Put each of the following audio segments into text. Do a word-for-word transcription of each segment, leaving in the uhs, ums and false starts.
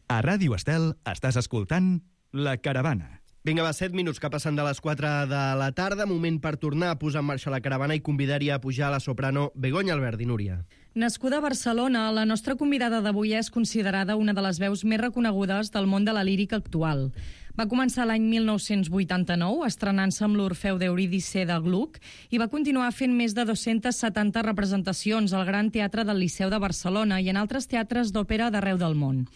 A Ràdio Estel estàs escoltant La Caravana. Vinga, va, set minuts que passen de les quatre de la tarda, moment per tornar a posar en marxa la caravana i convidar-hi a pujar la soprano Begoña Alberdi. Núria. Nascuda a Barcelona, la nostra convidada d'avui és considerada una de les veus més reconegudes del món de la lírica actual. Va començar l'any mil nou-cents vuitanta-nou, estrenant-se amb l'Orfeu d'Eurídice de Gluck, i va continuar fent més de dues-centes setanta representacions al Gran Teatre del Liceu de Barcelona i en altres teatres d'òpera d'arreu del món.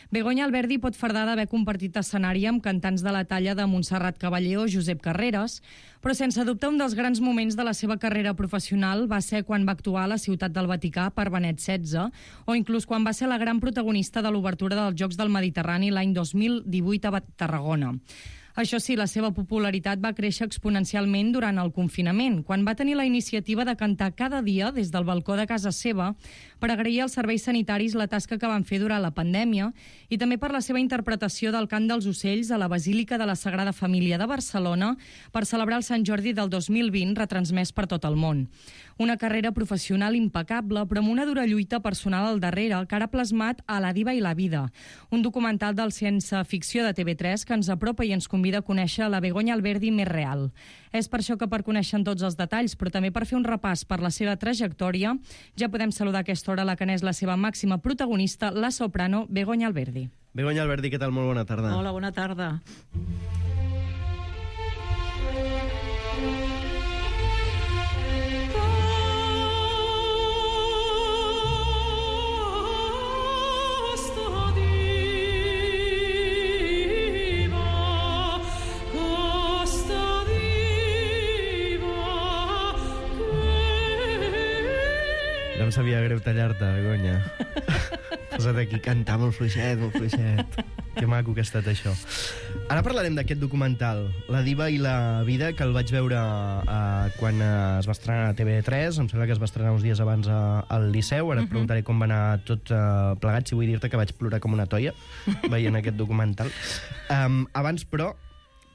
Begoña Alberdi pot fardar d'haver compartit escenari amb cantants de la talla de Montserrat Caballé o Josep Carreras, però sense dubte un dels grans moments de la seva carrera professional va ser quan va actuar a la Ciutat del Vaticà per Benet setze, o inclús quan va ser la gran protagonista de l'obertura dels Jocs del Mediterrani l'any dos mil divuit a Tarragona. Això sí, la seva popularitat va créixer exponencialment durant el confinament, quan va tenir la iniciativa de cantar cada dia des del balcó de casa seva per agrair als serveis sanitaris la tasca que van fer durant la pandèmia i també per la seva interpretació del cant dels ocells a la Basílica de la Sagrada Família de Barcelona per celebrar el Sant Jordi del dos mil vint, retransmès per tot el món. Una carrera professional impecable, però amb una dura lluita personal al darrere, que ha plasmat a La diva i la vida, un documental del ciència ficció de T V tres que ens apropa i ens convida a conèixer la Begoña Alberdi més real. És per això que per conèixer tots els detalls, però també per fer un repàs per la seva trajectòria, ja podem saludar a aquesta hora la que n'és la seva màxima protagonista, la soprano Begoña Alberdi. Begoña Alberdi, què tal? Molt bona tarda. Hola, bona tarda. No em sabia greu tallar-te, Begoña. Posa't aquí, cantar molt fluixet, molt fluixet. Que maco que ha estat això. Ara parlarem d'aquest documental, La diva i la vida, que el vaig veure uh, quan uh, es va estrenar a T V tres, em sembla que es va estrenar uns dies abans uh, al Liceu. Ara et preguntaré com va anar tot uh, plegat, si vull dir-te que vaig plorar com una toia veient aquest documental. Um, abans, però,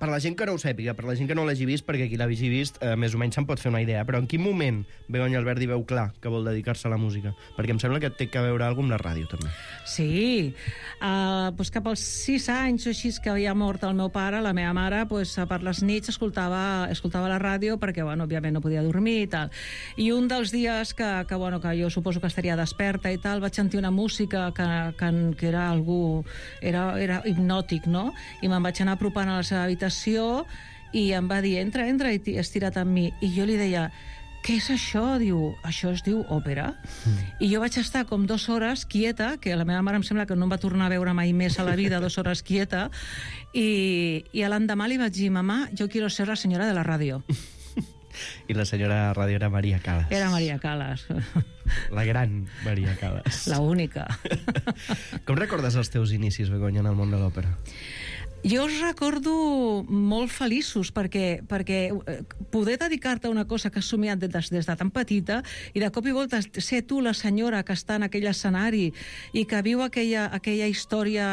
per la gent que no ho sàpiga, per la gent que no l'hagi vist, perquè qui l'hagi vist eh, més o menys se'n pot fer una idea, però en quin moment Begoña Alberdi veu clar que vol dedicar-se a la música? Perquè em sembla que té que veure alguna cosa amb la ràdio, també. Sí, uh, doncs cap als sis anys o així que havia mort el meu pare, la meva mare, doncs, per les nits escoltava, escoltava la ràdio perquè, bueno, òbviament no podia dormir i tal. I un dels dies que, que, bueno, que jo suposo que estaria desperta i tal, vaig sentir una música que, que, que era algú... Era, era hipnòtic, no? I me'n vaig anar apropant a la seva habitació i em va dir, entra, entra, i estira't amb mi. I jo li deia, què és això? Diu, això es diu òpera. Mm. I jo vaig estar com dues hores quieta, que la meva mare em sembla que no em va tornar a veure mai més a la vida, dues hores quieta, i, i l'endemà li vaig dir, mamà, jo quiero ser la senyora de la ràdio. I la senyora de ràdio era Maria Calas. Era Maria Calas. La gran Maria Calas. La única. Com recordes els teus inicis, Begoña, en el món de l'òpera? Jo els recordo molt feliços perquè, perquè poder dedicar-te a una cosa que has somiat des, des de tan petita i de cop i volta ser tu la senyora que està en aquell escenari i que viu aquella, aquella història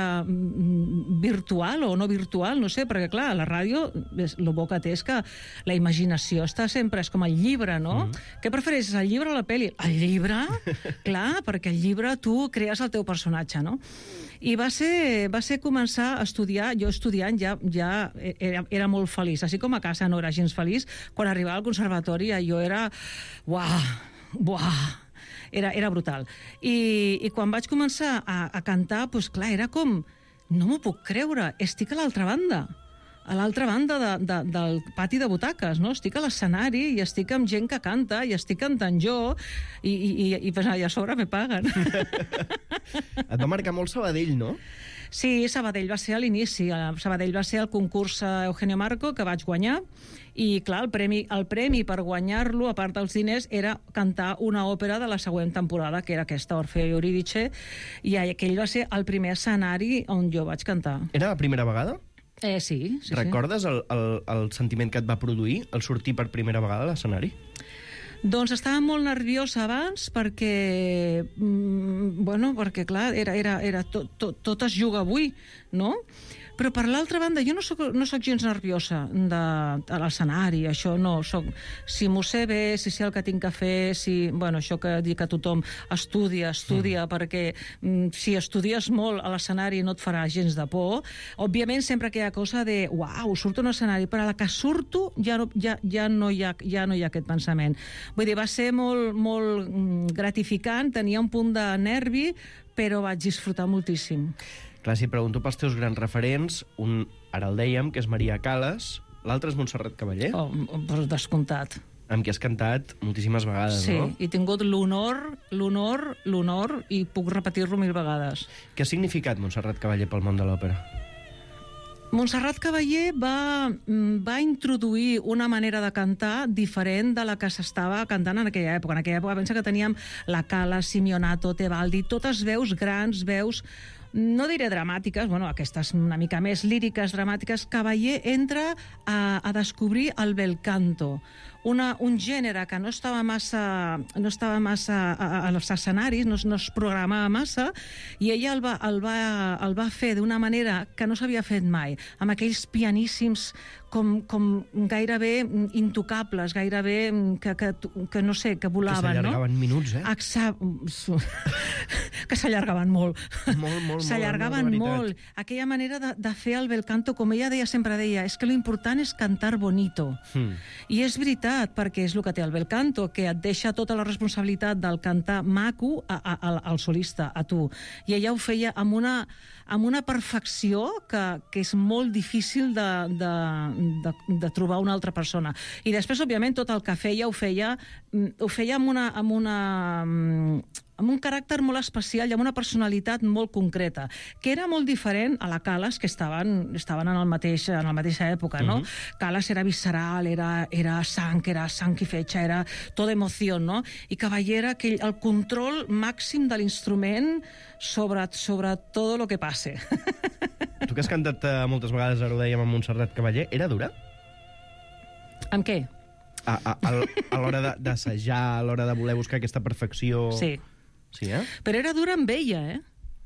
virtual o no virtual, no sé, perquè clar, la ràdio, el bo que té és que la imaginació està sempre, és com el llibre, no? Mm. Què prefereixes, el llibre o la pel·li? El llibre? Clar, perquè el llibre tu crees el teu personatge, no? I va ser, va ser començar a estudiar, jo estudiant ja, ja era, era molt feliç, així com a casa no era gens feliç, quan arribava al conservatori jo era, uah, uah, era, era brutal. I, i quan vaig començar a, a cantar, doncs clar, era com, no m'ho puc creure, estic a l'altra banda, a l'altra banda de, de, del pati de butaques, no? Estic a l'escenari i estic amb gent que canta i estic cantant jo i, i, i, i, i a sobre me paguen. Et va marcar molt Sabadell, no? Sí, Sabadell va ser a l'inici. Sabadell va ser el concurs Eugenio Marco que vaig guanyar i, clar, el premi, el premi per guanyar-lo, a part dels diners, era cantar una òpera de la següent temporada, que era aquesta, Orfeo i Eurídice, i aquell va ser el primer escenari on jo vaig cantar. Era la primera vegada? Eh, sí, sí. Recordes el, el, el sentiment que et va produir el sortir per primera vegada a l'escenari? Doncs estava molt nerviosa abans perquè, mm, bueno, perquè clar, era, era, era tot, tot, tot es juga avui, no? Però per l'altra banda, jo no soc, no soc gens nerviosa de, a l'escenari, això no, soc, si m'ho sé bé, si sé el que tinc que fer, si, bueno, això que dic a tothom, estudia, estudia, mm. perquè mm, si estudies molt a l'escenari no et farà gens de por. Òbviament, sempre que hi ha cosa de, uau, surto a un escenari, però a la que surto ja no, ja, ja no, hi, ha, ja no hi ha aquest pensament. Vull dir, va ser molt, molt gratificant, tenia un punt de nervi, però vaig disfrutar moltíssim. Clar, si pregunto pels teus grans referents, un, ara el dèiem, que és Maria Callas, l'altre és Montserrat Caballé, Oh, per descomptat. amb qui has cantat moltíssimes vegades, Sí, no? he tingut l'honor, l'honor, l'honor, i puc repetir-lo mil vegades. Què ha significat Montserrat Caballé pel món de l'òpera? Montserrat Caballé va, va introduir una manera de cantar diferent de la que s'estava cantant en aquella època. En aquella època pensa que teníem la Cala, Simeonato, Tebaldi, totes veus grans, veus, no diré dramàtiques, bueno, aquestes una mica més líriques, dramàtiques. Caballé entra a, a descobrir el bel canto, una, un gènere que no estava massa, no estava massa a, a, als escenaris, no, no es programava massa, i ella el va, el va, el va fer d'una manera que no s'havia fet mai, amb aquells pianíssims com, com gairebé intocables, gairebé que, que, que no sé, que volaven, no? Que s'allargaven minuts, eh? Exa... que s'allargaven molt. Molt, molt, S'allargaven molt, molt. Aquella manera de, de fer el bel canto, com ella deia, sempre deia, és que lo important és cantar bonito. Mm. I és veritat, perquè és el que té el bel canto, que et deixa tota la responsabilitat del cantar maco a, a, a, al solista, a tu. I ella ho feia amb una, amb una perfecció que, que és molt difícil de, de, de, de trobar una altra persona. I després, òbviament, tot el que feia ho feia, ho feia amb una, amb una amb un caràcter molt especial i amb una personalitat molt concreta, que era molt diferent a la Callas, que estaven, estaven en, el mateix, en la mateixa època, no? Uh-huh. Callas era visceral, era, era sang, era sang i fetge, era tota emoció, no? I Caballé era aquell, el control màxim de l'instrument sobre, sobre tot el que passe. Tu que has cantat uh, moltes vegades, ara ho dèiem, amb Montserrat Caballé, era dura? Amb què? A, a, a, a l'hora de- d'assajar, a l'hora de voler buscar aquesta perfecció... Sí. Sí, eh? Però era dura amb ella, eh?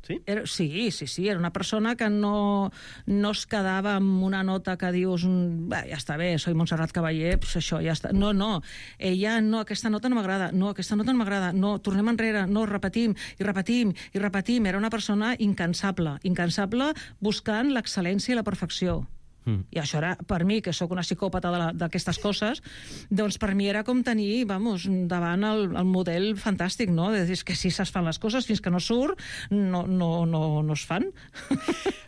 Sí? Era, sí, sí, sí, era una persona que no, no es quedava amb una nota que dius, "Bé, ja està bé, soy Montserrat Caballé, pues això, ja està." No, no, ella, no, aquesta nota no m'agrada, no, aquesta nota no m'agrada, no, tornem enrere, no, repetim, i repetim, i repetim. Era una persona incansable, incansable buscant l'excel·lència i la perfecció. Mm. I això era, per mi, que sóc una psicòpata d'aquestes coses, doncs per mi era com tenir, vamos, davant el, el model fantàstic, no? De dir que si es fan les coses, fins que no surt, no, no, no, no es fan.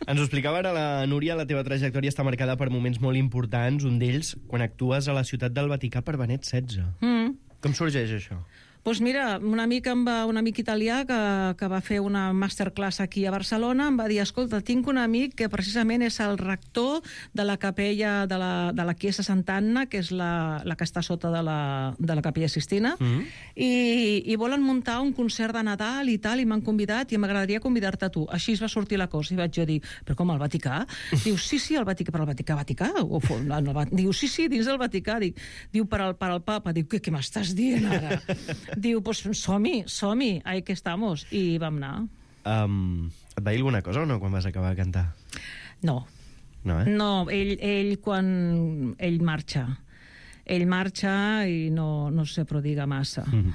Ens ho explicava ara la Núria, la teva trajectòria està marcada per moments molt importants, un d'ells quan actues a la ciutat del Vaticà per Benet setze. Mm. Com sorgeix això? Doncs mira, un amic, em va, un amic italià que, que va fer una masterclass aquí a Barcelona em va dir, escolta, tinc un amic que precisament és el rector de la capella de la, de la Chiesa Sant'Anna, que és la, la que està sota de la, de la capella Sistina, mm-hmm. i, i volen muntar un concert de Nadal i tal, i m'han convidat i m'agradaria convidar-te a tu. Així es va sortir la cosa, i vaig jo dir, però com, al Vaticà? Diu, sí, sí, al Vaticà, però al Vaticà, Vaticà? O, no, no, diu, sí, sí, dins del Vaticà. Dic, diu, per al, per al papa. Diu, què, què m'estàs dient ara? Diu, pues som-hi, som-hi, ahí que estamos. I vam anar. Um, et va dir alguna cosa o no quan vas acabar de cantar? No. No, eh? No, ell, ell quan... Ell marxa. Ell marxa i no, no se prodiga massa. Mm.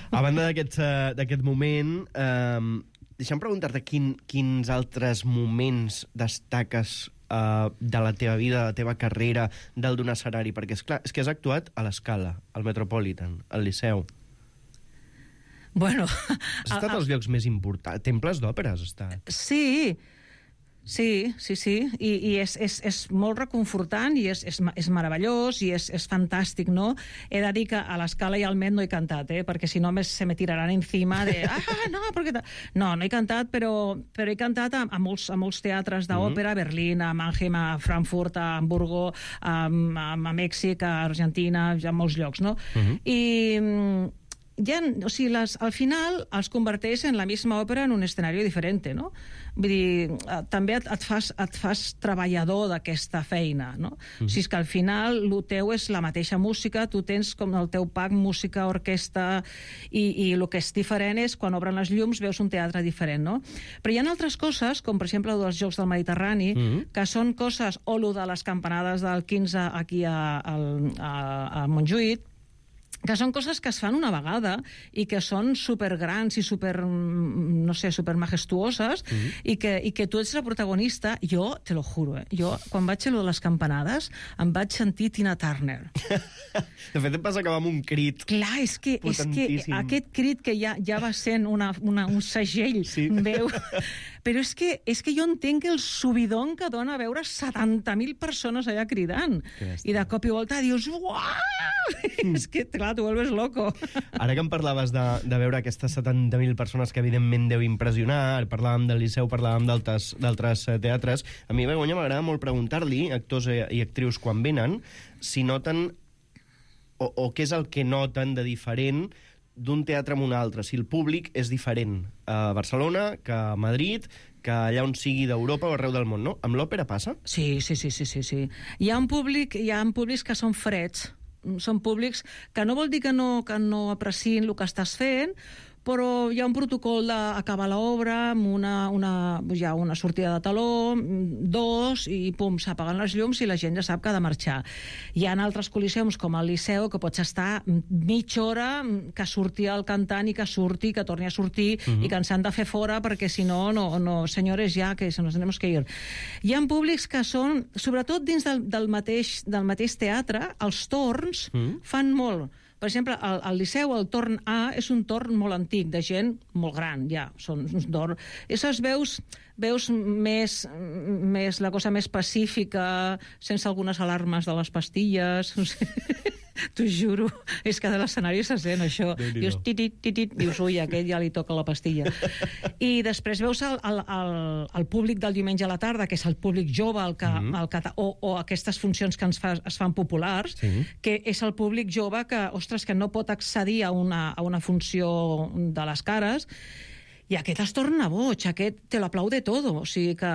A banda d'aquest uh, d'aquest moment, um, deixa'm preguntar-te quin, quins altres moments destaques uh, de la teva vida, de la teva carrera, del d'un escenari, perquè és clar, és que has actuat a l'Escala, al Metropolitan, al Liceu. Bueno... Has estat als llocs més importants. Temples d'òpera has estat. Sí, sí, sí, sí. I, i és, és, és molt reconfortant i és, és, és meravellós i és, és fantàstic, no? He de dir que a l'Escala i al Met no he cantat, eh? Perquè si no me, se me tiraran encima de... Ah, no, perquè... No, no he cantat, però, però he cantat a, a, molts, a molts teatres d'òpera, mm. a Berlín, a Mannheim, a Frankfurt, a Hamburgo, a, a, a Mèxic, a Argentina, a molts llocs, no? Mm-hmm. I... ja, o sigui, les, al final els converteix en la misma òpera en un escenari diferent, no? Vull dir, també et, et, fas, et fas treballador d'aquesta feina, no? Mm. O sigui, que al final el teu és la mateixa música, tu tens com el teu pack música, orquestra, i, i el que és diferent és quan obren les llums veus un teatre diferent, no? Però hi ha altres coses, com per exemple els Jocs del Mediterrani, mm. que són coses, o lo de les campanades del quinze aquí a, a, a, a Montjuïc, que són coses que es fan una vegada i que són supergrans i super, no sé, super majestuoses, mm-hmm. i, que, i que tu ets la protagonista. Jo, te lo juro, eh? Jo, quan vaig a lo de les campanades, em vaig sentir Tina Turner. De fet, em vas acabar amb un crit. Clar, és que, és que aquest crit que ja, ja va sent una, una, un segell, sí. Veu... Però és que, és que jo entenc el subidon que dona veure setanta mil persones allà cridant. I de cop i volta dius, uau! Mm. És que, clar, tu vuelves loco. Ara que em parlaves de, de veure aquestes setanta mil persones que evidentment deu impressionar, parlàvem del Liceu, parlàvem d'altres teatres, a mi, Begoña, m'agrada molt preguntar-li, actors i actrius quan venen, si noten, o, o què és el que noten de diferent d'un teatre amb un altre, si el públic és diferent a Barcelona que a Madrid, que allà on sigui d'Europa o arreu del món, no? Amb l'òpera passa? Sí, sí, sí, sí, sí, sí. Hi ha un públic, hi ha un públics que són freds, són públics que no vol dir que no, que no apreciïn el que estàs fent, però hi ha un protocol d'acabar l'obra amb una, una, ja una sortida de taló, dos, i pum, s'apaguen les llums i la gent ja sap que ha de marxar. Hi ha altres col·liseums, com el Liceu, que pots estar mitja hora que surti el cantant i que surti, que torni a sortir, uh-huh. i que ens han de fer fora, perquè si no, no, no senyores, ja, que se nos tenemos que ir. Hi ha públics que són, sobretot dins del, del, mateix, del mateix teatre, els torns uh-huh. fan molt. Per exemple, al, al Liceu, el torn A és un torn molt antic, de gent molt gran, ja. Són uns torns... Esses veus, veus més, més, la cosa més pacífica, sense algunes alarmes de les pastilles... No sé. T'ho juro, és que de l'escenari se sent això. Dius, titit, titit, dius, ui, a aquest ja li toca la pastilla. I després veus el, el, el, el públic del diumenge a la tarda, que és el públic jove, el que, mm-hmm. el que, o, o aquestes funcions que ens fa, es fan populars, sí. que és el públic jove que, ostres, que no pot accedir a una, a una funció de les cares, i aquest es torna boig, aquest te lo aplaude todo. O sigui que,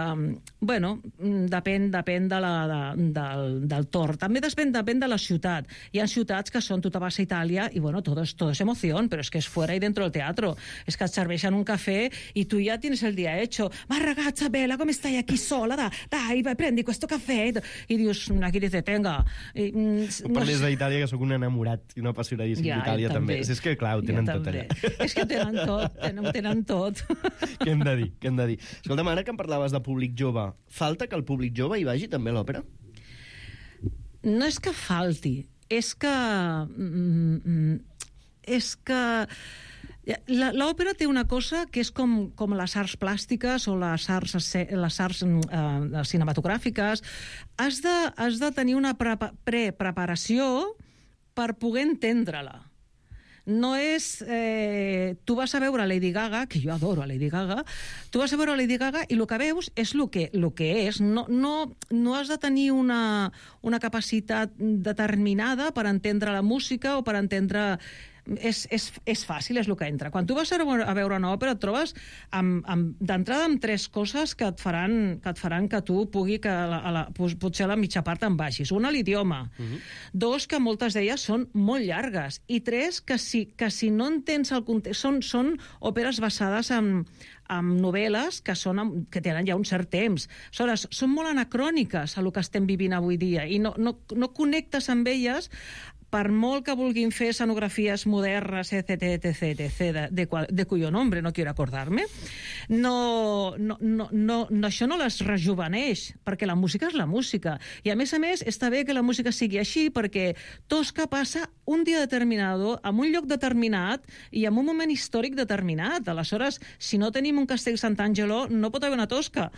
bueno, depèn, depèn de la, de, del, del torn. També depèn, depèn de la ciutat. Hi ha ciutats que són, tu te vas a Itàlia i, bueno, todo es, todo es emoción, però és que és fuera y dentro del teatro. És que et serveixen un cafè i tu ja tienes el dia hecho. Ma ragazza bella, come stai aquí sola? Da, dai, vai, prendi questo caffè. I dius, aquí dice, tenga. I, no parles d'Itàlia, que sóc un enamorat i un apassionadíssim ja, d'Itàlia, també. també. És que, clar, ho tenen ja, tot allà. És que ho tenen tot, tenen, tenen tot. Què hem de dir? Què hem de dir? Escolta'm, ara que em parlaves de públic jove, falta que el públic jove hi vagi també a l'òpera? No és que falti, és que... És que... L'òpera té una cosa que és com, com les arts plàstiques o les arts, les arts eh, cinematogràfiques. Has de, has de tenir una pre-preparació per poder entendre-la. No és... Eh, tu vas a veure Lady Gaga, que jo adoro a Lady Gaga, tu vas a veure Lady Gaga i el que veus és el que, lo que és. No, no, no has de tenir una, una capacitat determinada per entendre la música o per entendre... És, és, és fàcil, és el que entra. Quan tu vas a veure una òpera et trobes amb, amb, d'entrada amb tres coses que et faran que, et faran que tu pugui que a la, a la, potser a la mitja part en baixis. Una, l'idioma. Uh-huh. Dos, que moltes d'elles són molt llargues. I tres, que si, que si no entens el context... Són, són òperes basades en, en novel·les que, són, que tenen ja un cert temps. Aleshores, són molt anacròniques a el que estem vivint avui dia i no, no, no connectes amb elles per molt que vulguin fer escenografies modernes, etc, etc, etc, de, de, de cuyo nombre no quiero acordarme, no, no, no, no, això no les rejuveneix, perquè la música és la música. I a més a més, està bé que la música sigui així, perquè Tosca passa un dia determinat, en un lloc determinat i en un moment històric determinat. Aleshores, si no tenim un Castell Sant'Angelo, no pot haver una Tosca.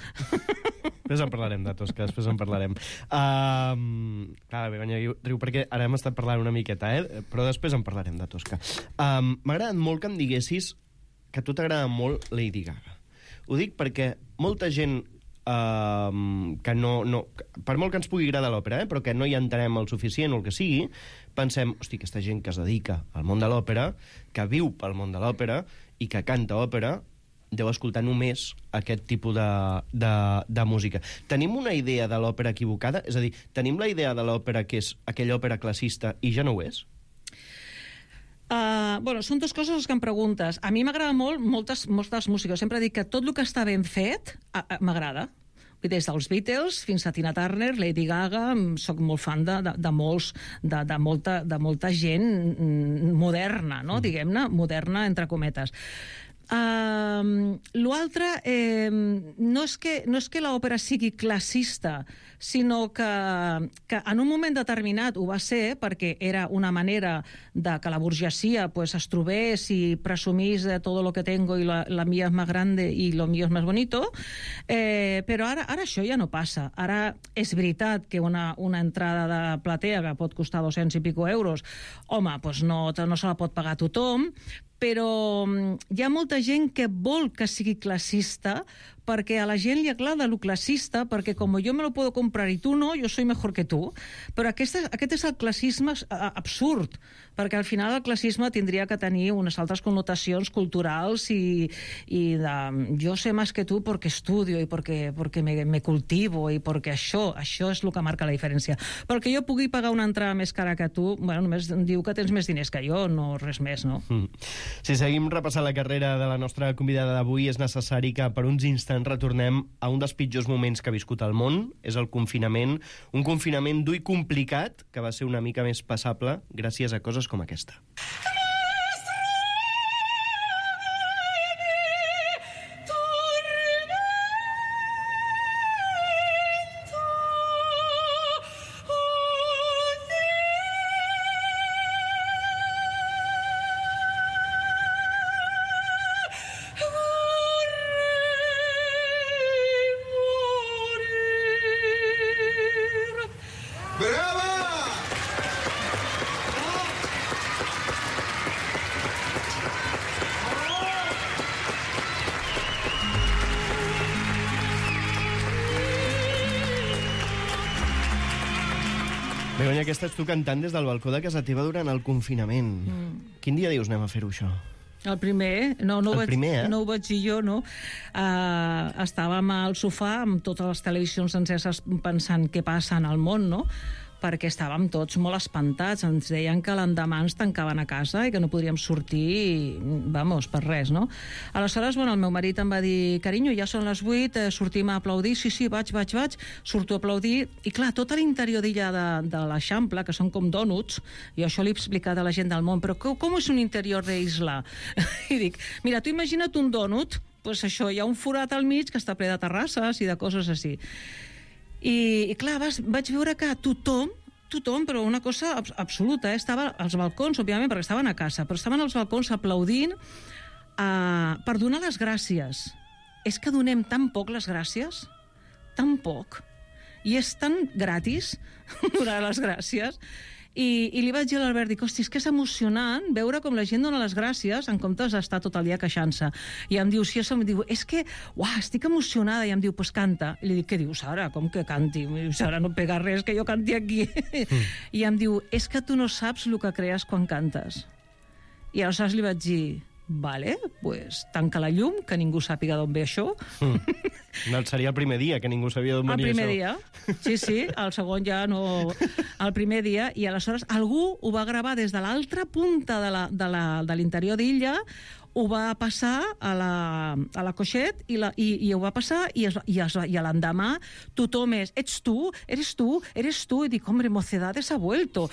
Després en parlarem de Tosca, després en parlarem. Um, clar, Begoña riu perquè ara hem estat parlant una miqueta, eh? Però després en parlarem de Tosca. Um, M'ha agradat molt que em diguessis que a tu t'agrada molt Lady Gaga. Ho dic perquè molta gent uh, que no, no... Per molt que ens pugui agradar l'òpera, eh, però que no hi entenem el suficient o el que sigui, pensem, hosti, aquesta gent que es dedica al món de l'òpera, que viu pel món de l'òpera i que canta òpera, deu escoltar només aquest tipus de, de, de música. Tenim una idea de l'òpera equivocada? És a dir, tenim la idea de l'òpera que és aquella òpera classista i ja no ho és? Uh, bueno, són dues coses que em preguntes. A mi m'agrada molt moltes, moltes músiques. Sempre dic que tot el que està ben fet uh, uh, m'agrada. Des dels Beatles fins a Tina Turner, Lady Gaga, soc molt fan de, de, de, molts, de, de, molta, de molta gent moderna, no? Mm. Diguem-ne, moderna entre cometes. Uh, L'altre, eh, no és que, no és que l'òpera sigui classista, sinó que, que en un moment determinat ho va ser perquè era una manera de que la burgesia pues, es trobés i presumís de tot lo que tengo i la, la mía es más grande i lo mío es más bonito, eh, però ara, ara això ja no passa. Ara és veritat que una, una entrada de platea que pot costar dos-cents i pico euros, home, pues no, no se la pot pagar tothom, però hi ha molta gent que vol que sigui classista perquè a la gent li agrada lo classista, perquè com jo me lo puedo comprar i tu no, jo soy mejor que tu. Però aquest, aquest és el classisme absurd, perquè al final el classisme tindria que tenir unes altres connotacions culturals i, i de jo sé més que tu perquè estudio i perquè, perquè me, me cultivo i perquè això, això és el que marca la diferència. Perquè jo pugui pagar una entrada més cara que tu, bueno, només diu que tens més diners que jo, no res més, no? Mm. Si seguim repassant la carrera de la nostra convidada d'avui, és necessari que per uns instants retornem a un dels pitjors moments que ha viscut el món, és el confinament, un confinament dur i complicat que va ser una mica més passable gràcies a coses com aquesta. Begoña, aquesta ets tu cantant des del balcó de casa teva durant el confinament. Mm. Quin dia dius anem a fer-ho, això? El primer, no, no, el vaig, primer, eh? no ho vaig dir jo, no. Uh, estàvem al sofà amb totes les televisions enceses pensant què passa en el món, no? Perquè estàvem tots molt espantats. Ens deien que l'endemà ens tancaven a casa i que no podríem sortir, vamos, per res, no? Aleshores, bueno, el meu marit em va dir, carinyo, ja són les vuit, eh, sortim a aplaudir. Sí, sí, vaig, vaig, vaig. Surto a aplaudir. I clar, tot l'interior d'illa de, de l'Eixample, que són com dònuts, i això l'he explicat a la gent del món, però com, com és un interior d'isla? I dic, mira, tu imagina't un dònut, pues això, hi ha un forat al mig que està ple de terrasses i de coses així. I, i clar, vas, vaig veure que tothom, tothom, però una cosa abs absoluta, eh? Estava als balcons, òbviament, perquè estaven a casa, però estaven als balcons aplaudint uh, per donar les gràcies. És que donem tan poc les gràcies, tan poc, i és tan gratis donar les gràcies. I, i li vaig dir a l'Albert, dic, hosti, és que és emocionant veure com la gent dona les gràcies en comptes d'estar tot el dia queixant-se. I em diu, si això, em diu, és que, uah, estic emocionada. I em diu, pues canta. I li dic, què dius, Sara? Com que canti? Sara, no pega res que jo canti aquí. Mm. I em diu, és que tu no saps el que crees quan cantes. I aleshores li vaig dir, vale, pues tanca la llum, que ningú sàpiga d'on ve això. Mm. No, seria el primer dia, que ningú sabia d'on venia això. El primer això. dia, sí, sí, el segon ja no... El primer dia, i aleshores algú ho va gravar des de l'altra punta de l'interior d'illa, ho va passar a la, a la Coixet i, la, i, i ho va passar i, es, i, es, i a l'endemà tothom és, ets tu, eres tu, eres tu, i dic, hombre, Mocedades ha vuelto,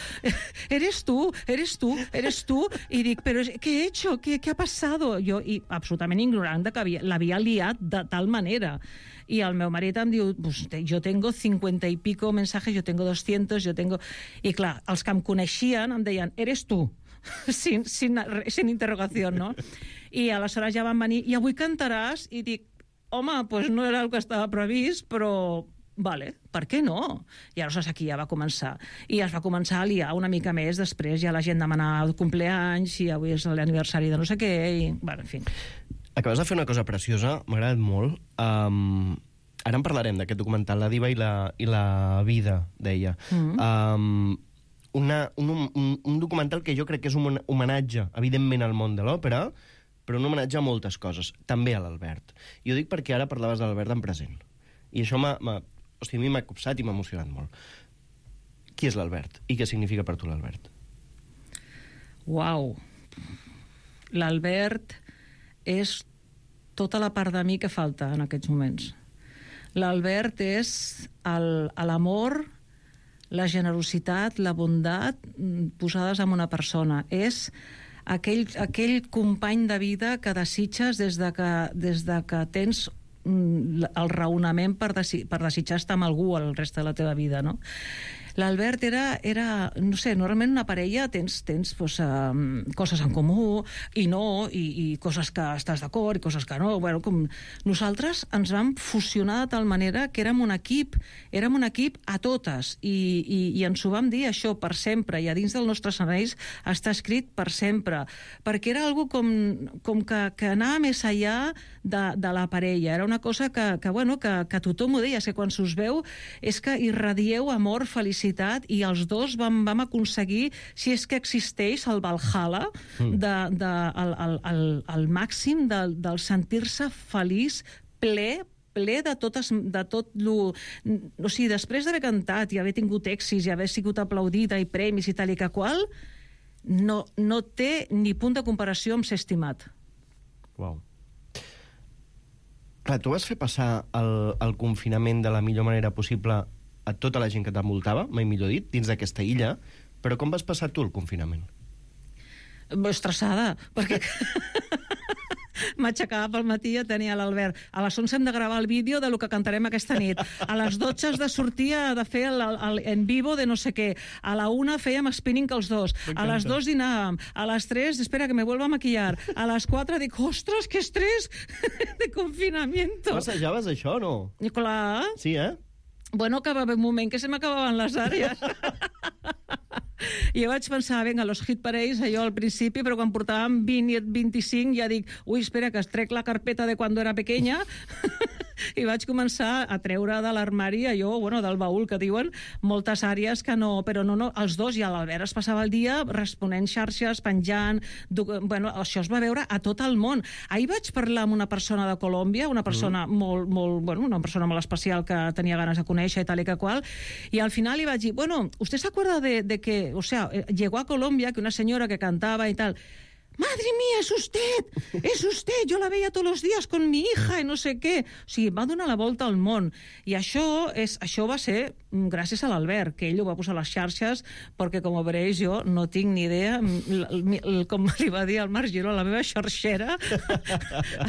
eres tu, eres tu, eres tu, i dic, però què he hecho, què, què ha passado? Jo, i absolutament ignorant de que l'havia liat de tal manera. Y el meu marit em diu, pues, yo tengo cincuenta y pico mensajes, yo tengo doscientos, yo tengo... I clar, els que em coneixien em deien, eres tu, sin, sin, sin interrogació, no? I aleshores ja van venir, i avui cantaràs? I dic, home, pues no era el que estava previst, però... Vale, per què no? I aleshores aquí ja va començar. I es va començar a liar una mica més, després ja la gent demanava el compleanys, i avui és l'aniversari de no sé què, i... Bueno, en fi... Acabes de fer una cosa preciosa, m'ha agradat molt. Um, ara en parlarem d'aquest documental, La diva i la, i la vida, deia. Mm-hmm. Um, una, un, un, un documental que jo crec que és un homenatge, evidentment, al món de l'òpera, però un homenatge a moltes coses, també a l'Albert. I ho dic perquè ara parlaves de l'Albert en present. I això m'ha... O sigui, a mi m'ha copsat i m'ha emocionat molt. Qui és l'Albert? I què significa per tu l'Albert? Uau! L'Albert és tota la part de mi que falta en aquests moments. L'Albert és l'amor, la generositat, la bondat posades en una persona. És aquell, aquell company de vida que desitges des de que, des de que tens el raonament per, desi per desitjar estar amb algú el reste de la teva vida, no? L'Albert era, era, no sé, normalment una parella tens, tens pues, um, coses en comú i no, i, i coses que estàs d'acord i coses que no. Bueno, com nosaltres ens vam fusionar de tal manera que érem un equip, érem un equip a totes i, i, i ens ho vam dir això per sempre i a dins dels nostres escenaris està escrit per sempre, perquè era algo com, com que, que anava més enllà de, de la parella. Era una cosa que, que, bueno, que, que tothom ho deia, que quan s'us veu és que irradieu amor, felicitat, i els dos vam, vam aconseguir, si és que existeix el Valhalla, mm. de, de, el, el, el, el màxim del, del sentir-se feliç, ple, ple de, totes, de tot lo... O sigui, després d'haver cantat i haver tingut èxits i haver sigut aplaudida i premis i tal i que qual, no, no té ni punt de comparació amb ser estimat. Uau. Clar, tu vas fer passar el, el confinament de la millor manera possible a tota la gent que t'envoltava, mai millor dit, dins d'aquesta illa, però com vas passar tu el confinament? Estressada, perquè m'aixecava pel matí i tenia l'Albert. A les onze hem de gravar el vídeo de lo que cantarem aquesta nit. A les dotze has de sortir de fer el, el, en vivo de no sé què. A la una fèiem spinning els dos. A les dos dinàvem. A les tres, espera que me vuelva a maquillar. A les quatre dic, ostres, que estrès de confinamiento. Passejaves això, no? I clar. Sí, eh? Bueno, que va haver un moment que se m'acabaven les àrees. I jo vaig pensar, vinga, los hit parades, allò al principi, però quan portàvem vint i vint-i-cinc ja dic, ui, espera, que es trec la carpeta de quan era pequeña, i vaig començar a treure de l'armari allò, bueno, del baúl que diuen, moltes àrees que no, però no, no, els dos, i l'Albert es passava el dia responent xarxes, penjant, bueno, això es va veure a tot el món. Ahir vaig parlar amb una persona de Colòmbia, una persona mm. molt, molt, bueno, una persona molt especial que tenia ganes de conèixer i tal i que qual, i al final li vaig dir, bueno, ¿usted se acuerda de, de que, o sea, llegó a Colombia, que una señora que cantaba y tal, madre mía, es usted, es usted, jo la veia tots els dies con mi hija i no sé què. O sigui, va donar la volta al món. I això, és, això va ser gràcies a l'Albert, que ell ho va posar a les xarxes, perquè, com veureu, jo no tinc ni idea, com li va dir al Marc Giró, la meva xarxera,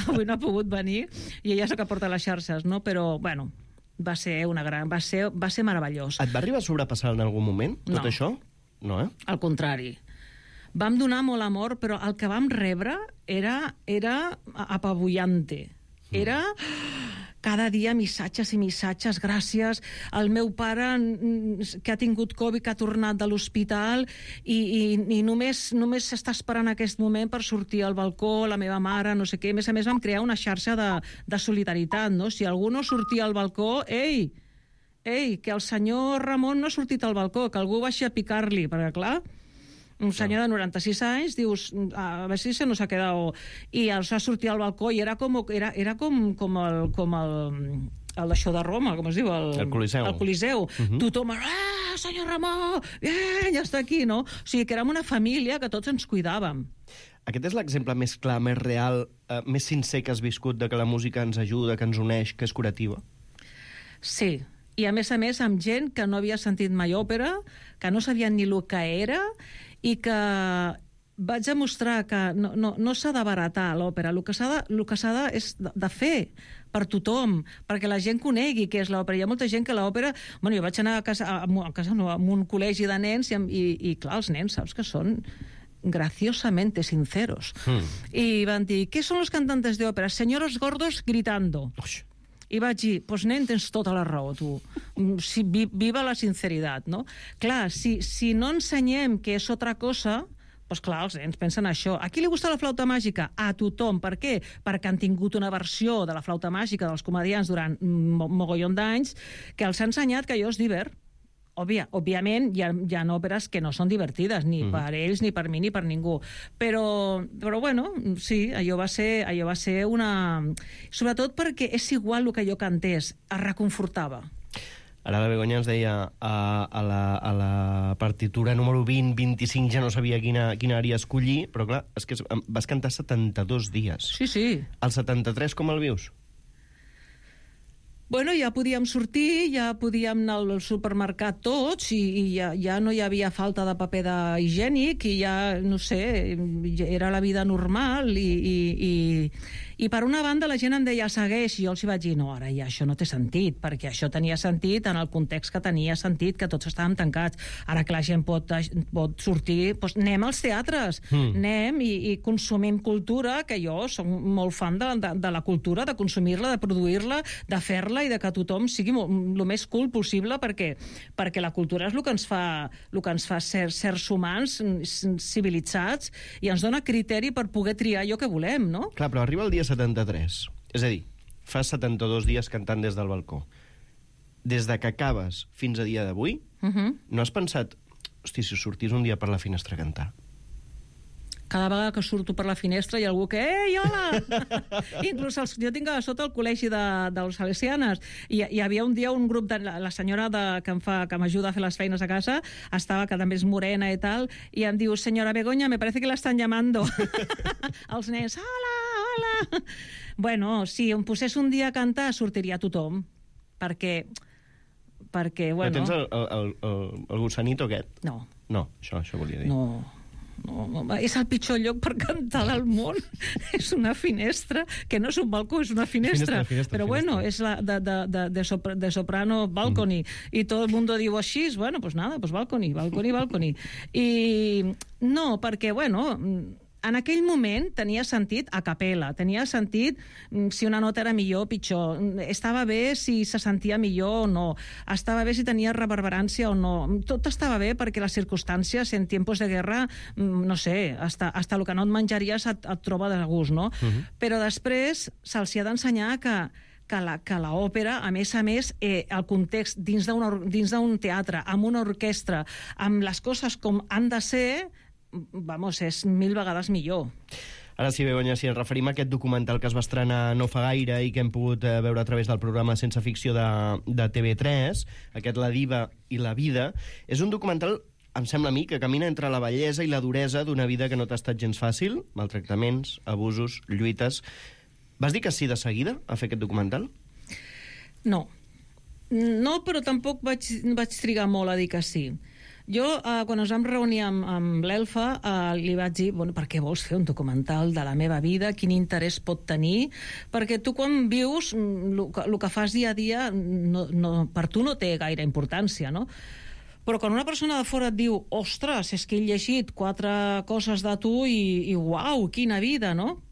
avui no ha pogut venir, i ella és la que porta les xarxes, no? Però, bueno, va ser una gran... va ser, va ser meravellós. Et va arribar a sobrepassar en algun moment, tot no. això? No, eh? Al contrari. Vam donar molt amor, però el que vam rebre era, era apabullante. Era cada dia missatges i missatges, gràcies. El meu pare, que ha tingut Covid, que ha tornat de l'hospital i, i, i només, només està esperant aquest moment per sortir al balcó, la meva mare, no sé què. A més a més, vam crear una xarxa de, de solidaritat, no? Si algú no sortia al balcó, ei, ei, que el senyor Ramon no ha sortit al balcó, que algú baixi a picar-li, perquè, clar, un senyor de noranta-sis anys, dius, a veure si se nos ha quedado... I els va sortir al balcó i era com, era, era com, com el... Com el el d'això de Roma, com es diu? El, el Coliseu. El Coliseu. Uh-huh. Tothom, ah, senyor Ramon, bien, ja està aquí, no? O sigui, que érem una família que tots ens cuidàvem. Aquest és l'exemple més clar, més real, eh, més sincer que has viscut de que la música ens ajuda, que ens uneix, que és curativa? Sí, i a més a més amb gent que no havia sentit mai òpera, que no sabien ni el que era, i que vaig demostrar que no, no, no s'ha de baratar l'òpera, el que s'ha de, el que s'ha de, és de, de fer per tothom, perquè la gent conegui què és l'òpera. Hi ha molta gent que l'òpera... Bueno, jo vaig anar a casa, a, a casa no, a un col·legi de nens i, i, i clar, els nens, saps que són graciosamente sinceros. Mm. I van dir, ¿qué son los cantantes de ópera? Señoros gordos gritando. Uix. I vaig dir, doncs nen, tens tota la raó, tu. Si, viva la sinceritat, no? Clar, si, si no ensenyem que és altra cosa, Doncs clar, els nens pensen això. A qui li gusta la flauta màgica? A tothom. Per què? Perquè han tingut una versió de la flauta màgica dels comedians durant mo mogollon d'anys que els ha ensenyat que allò és divert. Òbvia, òbviament, hi ha, hi ha òperes que no són divertides, ni mm. per ells, ni per mi, ni per ningú. Però, però bueno, sí, allò va ser, allò va ser una... Sobretot perquè és igual el que jo cantés, es reconfortava. Ara la Begoña ens deia a, a, la, a la partitura número vint vint-i-cinc ja no sabia quina, quina àrea escollir, però clar, és que vas cantar setanta-dos dies. Sí, sí. El setanta-tres com el vius? Bueno, ja podíem sortir, ja podíem anar al supermercat tots i, i ja, ja no hi havia falta de paper higiènic i ja, no sé, era la vida normal i, i, i, i per una banda la gent em deia segueix i jo els hi vaig dir no, ara ja això no té sentit, perquè això tenia sentit en el context que tenia sentit, que tots estàvem tancats. Ara que la gent pot, pot sortir, doncs anem als teatres, mm. anem i, i consumim cultura, que jo soc molt fan de, de, de la cultura, de consumir-la, de produir-la, de fer-la i de que tothom sigui el més cool possible perquè, perquè la cultura és el que ens fa, el que ens fa ser, sers humans civilitzats i ens dona criteri per poder triar allò que volem, no? Clar, però arriba el dia setanta-tres. És a dir, fa setanta-dos dies cantant des del balcó. Des de que acabes fins a dia d'avui, uh -huh. no has pensat, hosti, si sortís un dia per la finestra a cantar? Cada vegada que surto per la finestra hi ha algú que «Ei, hola!» Inclús els, jo tinc a sota el col·legi de, dels salesianes i hi havia un dia un grup de... La, la senyora de, que em fa, que m'ajuda a fer les feines a casa estava, que també és morena i tal, i em diu «Senyora Begoña, me parece que la están llamando». Els nens «Hola, hola!» Bueno, si em posés un dia a cantar sortiria tothom, perquè... perquè, bueno... Però tens el, el, el, el gossanito aquest? No. No, això, això volia dir. No... No, no, és el pitjor lloc per cantar del món. És una finestra, que no és un balcó, és una finestra. finestra, finestra però finestra. Bueno, és la de, de, de, de, sopra, de soprano balcony. Mm. I tot el mundo diu així, bueno, pues nada, pues balcony, balcony, balcony. I no, perquè, bueno... En aquell moment tenia sentit a capella, tenia sentit si una nota era millor o pitjor, estava bé si se sentia millor o no, estava bé si tenia reverberància o no, tot estava bé perquè les circumstàncies en tiempos de guerra, no sé, hasta, hasta el que no et menjaries et, et troba de gust, no? Uh-huh. Però després se'ls ha d'ensenyar que que la, que l'òpera, a més a més, eh, el context dins d'un teatre, amb una orquestra, amb les coses com han de ser, vamos, és mil vegades millor. Ara sí, Begoña, si ens referim a aquest documental que es va estrenar no fa gaire i que hem pogut eh, veure a través del programa Sense Ficció de, de T V tres, aquest La diva i la vida, és un documental, em sembla a mi, que camina entre la bellesa i la duresa d'una vida que no t'ha estat gens fàcil, maltractaments, abusos, lluites... Vas dir que sí de seguida a fer aquest documental? No. No, però tampoc vaig, vaig trigar molt a dir que sí. Jo, eh, quan ens vam reunir amb, amb l'Elfa, eh, li vaig dir, bueno, per què vols fer un documental de la meva vida? Quin interès pot tenir? Perquè tu quan vius, el que fas dia a dia, no, no, per tu no té gaire importància, no? Però quan una persona de fora et diu ostres, és que he llegit quatre coses de tu i, i uau, quina vida, no?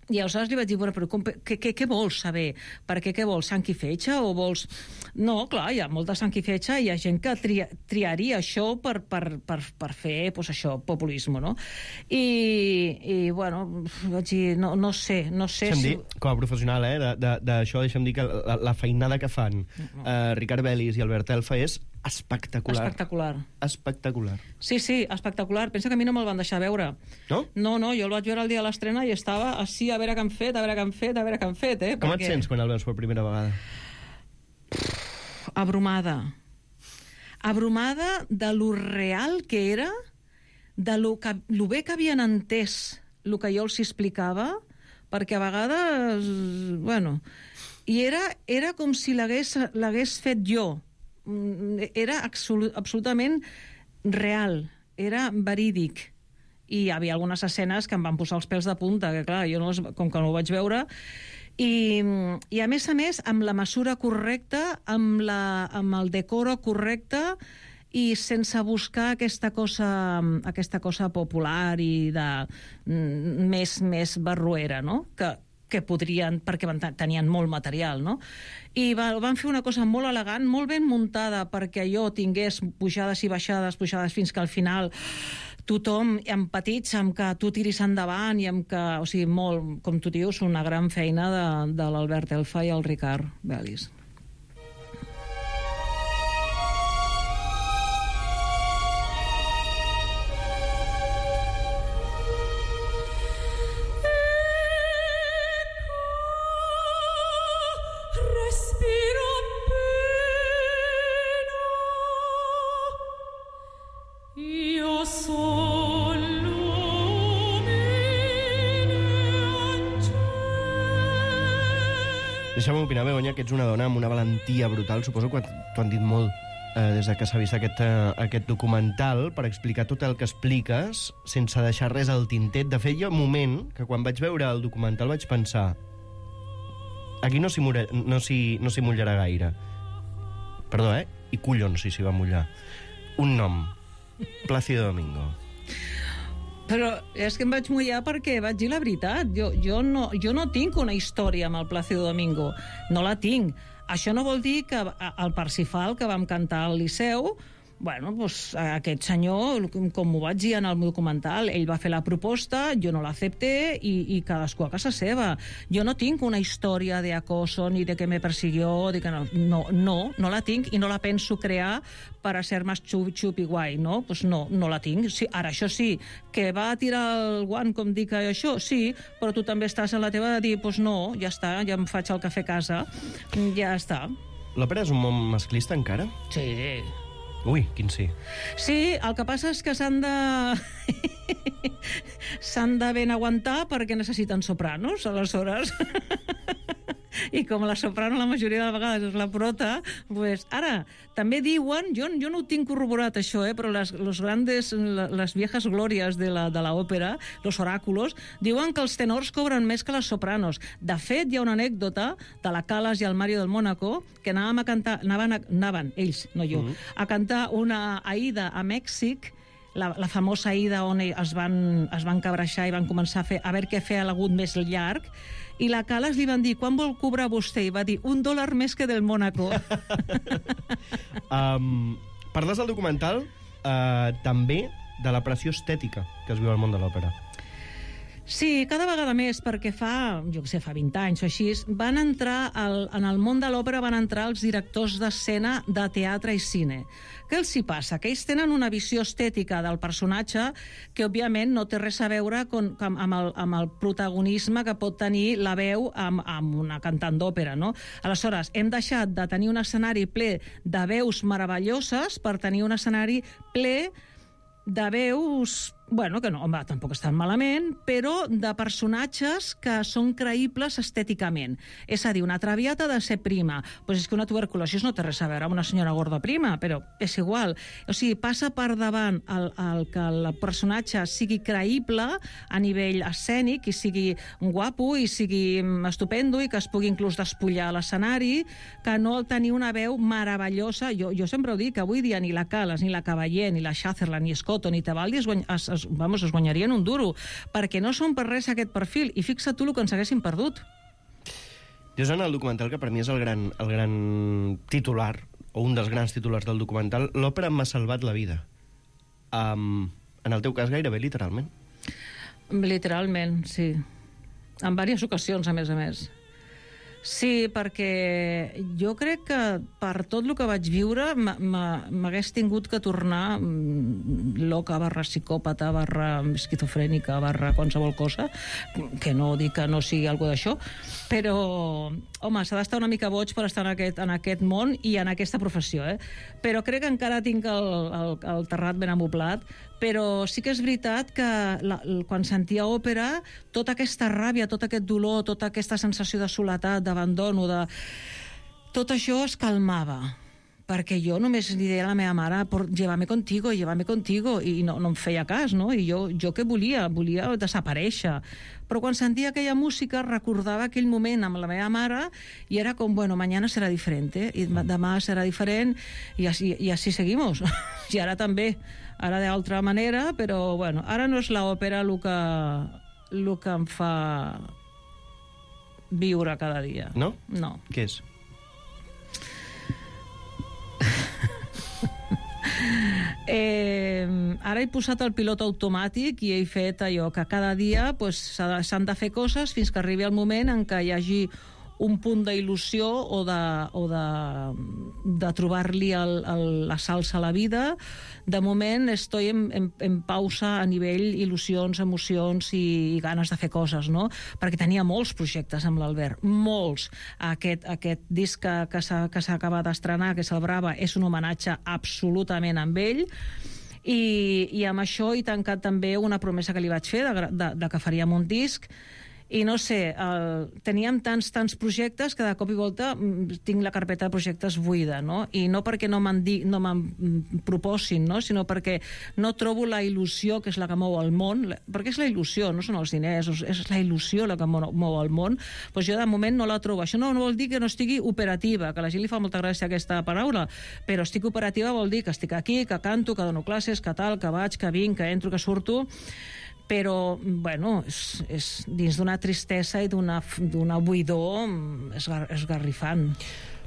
I aleshores li vaig dir, bueno, però com, què, què, què vols saber? Per què, què vols? Sang i fetge o vols... No, clar, hi ha molta sang i fetge i hi ha gent que tria, triaria això per, per, per, per fer, pues això, populisme, no? I, i bueno, vaig dir, no, no sé, no sé... Deixa'm si... dir, com a professional, eh, d'això, deixa'm dir que la, la feinada que fan no. eh, Ricard Bellis i Albert Elfa és espectacular. Espectacular. Espectacular. Sí, sí, espectacular. Pensa que a mi no me'l van deixar veure. No? No, no, jo el vaig veure el dia de l'estrena i estava així a veure què han fet, a veure què han fet, a veure què han fet, eh? Com perquè... et sents quan el veus per primera vegada? Abrumada. Abrumada de lo real que era, de lo, que, lo bé que havien entès el que jo els explicava, perquè a vegades, bueno, i era, era com si l'hagués fet jo. Era absolut, absolutament real, era verídic. I hi havia algunes escenes que em van posar els pèls de punta, que clar, jo no, com que no ho vaig veure, i, i a més a més amb la mesura correcta, amb, la, amb el decoro correcte i sense buscar aquesta cosa, aquesta cosa popular i de més, més barruera, no? Que, que podrien, perquè van, tenien molt material, no? I va, van fer una cosa molt elegant, molt ben muntada perquè allò tingués pujades i baixades, pujades fins que al final tothom empatitza amb que tu tiris endavant i amb que, o sigui, molt, com tu dius, una gran feina de, de l'Albert Elfa i el Ricard Belis. Deixa'm opinar, Begoña, que ets una dona amb una valentia brutal. Suposo que t'ho han dit molt eh, des de que s'ha vist aquest, eh, aquest documental per explicar tot el que expliques sense deixar res al tintet. De fet, hi ha un moment que quan vaig veure el documental vaig pensar aquí no s'hi mullarà, no s'hi, no s'hi mullarà gaire. Perdó, eh? I collons si s'hi va mullar. Un nom. Plácido Domingo. Però és que em vaig mullar perquè vaig dir la veritat. Jo, jo, no, jo no tinc una història amb el Plácido Domingo. No la tinc. Això no vol dir que el Parsifal, que vam cantar al Liceu, bueno, doncs, aquest senyor, com ho vaig dir en el documental, ell va fer la proposta, jo no l'accepté i, i cadascú a casa seva. Jo no tinc una història d'acoso ni de que me persiguió, de que no, no, no, no la tinc i no la penso crear per a ser més xup, xup i guai, no? Pues no, no la tinc. Sí, ara, això sí, que va tirar el guant, com dic això, sí, però tu també estàs en la teva de dir, pues no, ja està, ja em faig el cafè a casa, ja està. L'òpera és un món masclista encara? Sí. Ui, quin sí. Sí, el que passa és que s'han de... s'han de ben aguantar perquè necessiten sopranos, aleshores. I com la soprano la majoria de vegades és la prota, pues, ara, també diuen, jo, jo no ho tinc corroborat això, eh, però les, los grandes, les viejas glòries de la, de la òpera, los oràculos, diuen que els tenors cobren més que les sopranos. De fet, hi ha una anècdota de la Calas i el Mario del Mónaco que anàvem a cantar, anaven, a, anaven ells, no jo, mm-hmm. a cantar una Aida a Mèxic, la, la famosa Aida on es van, es van cabreixar i van començar a fer a veure què fer l'agut més llarg, i la Calas li van dir, quan vol cobrar vostè? I va dir, un dòlar més que del Mónaco. um, parles del documental uh, també de la pressió estètica que es viu al món de l'òpera. Sí, cada vegada més, perquè fa, jo què sé, fa vint anys o així, van entrar, al, en el món de l'òpera van entrar els directors d'escena de teatre i cine. Què els hi passa? Que ells tenen una visió estètica del personatge que, òbviament, no té res a veure con, amb, amb, el, amb el protagonisme que pot tenir la veu amb, amb una cantant d'òpera, no? Aleshores, hem deixat de tenir un escenari ple de veus meravelloses per tenir un escenari ple de veus, bueno, que no, home, tampoc estan malament, però de personatges que són creïbles estèticament. És a dir, una traviata ha de ser prima. Pues és que una tuberculosi no té res a veure amb una senyora gorda prima, però és igual. O sigui, passa per davant el, el que el personatge sigui creïble a nivell escènic i sigui guapo i sigui estupendo i que es pugui inclús despullar a l'escenari, que no tenir una veu meravellosa. Jo, jo sempre ho dic, que avui dia ni la Calas, ni la Cavallé, ni la Sutherland, ni Scotto, ni Tebaldi es, guany, es, es, vamos, es guanyarien un duro, perquè no són per res aquest perfil, i fixa't tu el que ens haguessin perdut. Dius en el documental, que per mi és el gran, el gran titular, o un dels grans titulars del documental, l'òpera m'ha salvat la vida. Um, en el teu cas, gairebé literalment. Literalment, sí. En diverses ocasions, a més a més. Sí, perquè jo crec que per tot el que vaig viure m'hagués tingut que tornar loca, barra psicòpata, barra esquizofrènica, barra qualsevol cosa, que no dic que no sigui alguna d'això, però, home, s'ha d'estar una mica boig per estar en aquest, en aquest món i en aquesta professió, eh? Però crec que encara tinc el, el, el terrat ben amoblat, però sí que és veritat que la, quan sentia òpera, tota aquesta ràbia, tot aquest dolor, tota aquesta sensació de soledat, d'abandono, de... tot això es calmava, perquè jo només li deia a la meva mare, llévame contigo, llévame contigo, i no, no em feia cas, no? I jo, jo què volia? Volia desaparèixer. Però quan sentia aquella música recordava aquell moment amb la meva mare i era com, bueno, mañana serà diferent, eh? I demà serà diferent, i així, i així seguimos. I ara també, ara d'altra manera, però, bueno, ara no és l'òpera el que, el que em fa viure cada dia. No? No. Què és? Eh, ara he posat el pilot automàtic i he fet allò que cada dia pues, s'han de fer coses fins que arribi el moment en què hi hagi un punt d'il·lusió o de, o de, de trobar-li el, el, la salsa a la vida. De moment estoy en, en, en pausa a nivell il·lusions, emocions i, i ganes de fer coses, no? Perquè tenia molts projectes amb l'Albert, molts. Aquest, aquest disc que, que s'ha acabat d'estrenar, que és el Brava, és un homenatge absolutament amb ell. I, i amb això he tancat també una promesa que li vaig fer de, de, de que faríem un disc. I no sé, el, teníem tants, tants projectes que de cop i volta tinc la carpeta de projectes buida, no? I no perquè no me'n no me'n proposin, no? Sinó perquè no trobo la il·lusió que és la que mou el món, perquè és la il·lusió, no són els diners, és la il·lusió la que mou el món. Doncs jo de moment no la trobo. Això no, no vol dir que no estigui operativa, que a la gent li fa molta gràcia aquesta paraula, però estic operativa vol dir que estic aquí, que canto, que dono classes, que tal, que vaig, que vinc, que entro, que surto, però, bueno, és, és dins d'una tristesa i d'una buidor esgar, esgarrifant.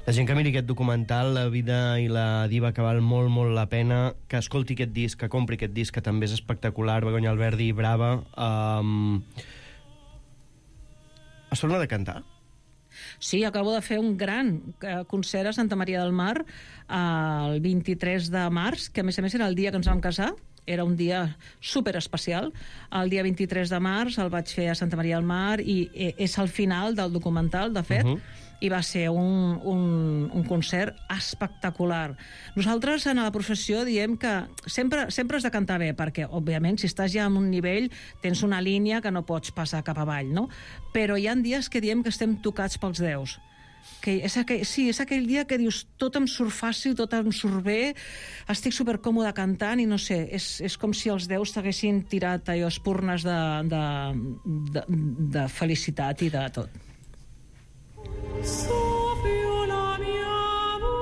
La gent que miri aquest documental, La vida i la diva, que val molt, molt la pena, que escolti aquest disc, que compri aquest disc, que també és espectacular, Begoña Alberdi, Brava. Um... Has tornat a cantar? Sí, acabo de fer un gran concert a Santa Maria del Mar el vint-i-tres de març, que a més a més era el dia que ens vam casar. Era un dia super especial. El dia vint-i-tres de març el vaig fer a Santa Maria del Mar i és el final del documental, de fet, uh -huh. i va ser un, un, un concert espectacular. Nosaltres, en la professió, diem que sempre, sempre has de cantar bé, perquè, òbviament, si estàs ja en un nivell, tens una línia que no pots passar cap avall, no? Però hi ha dies que diem que estem tocats pels déus. Que és aquell, sí, és aquell dia que dius tot em surt fàcil, tot em surt bé, estic supercòmode cantant i no sé, és, és com si els déus t'haguessin tirat allò espurnes de, de, de, de felicitat i de tot. Sofio la mia voce,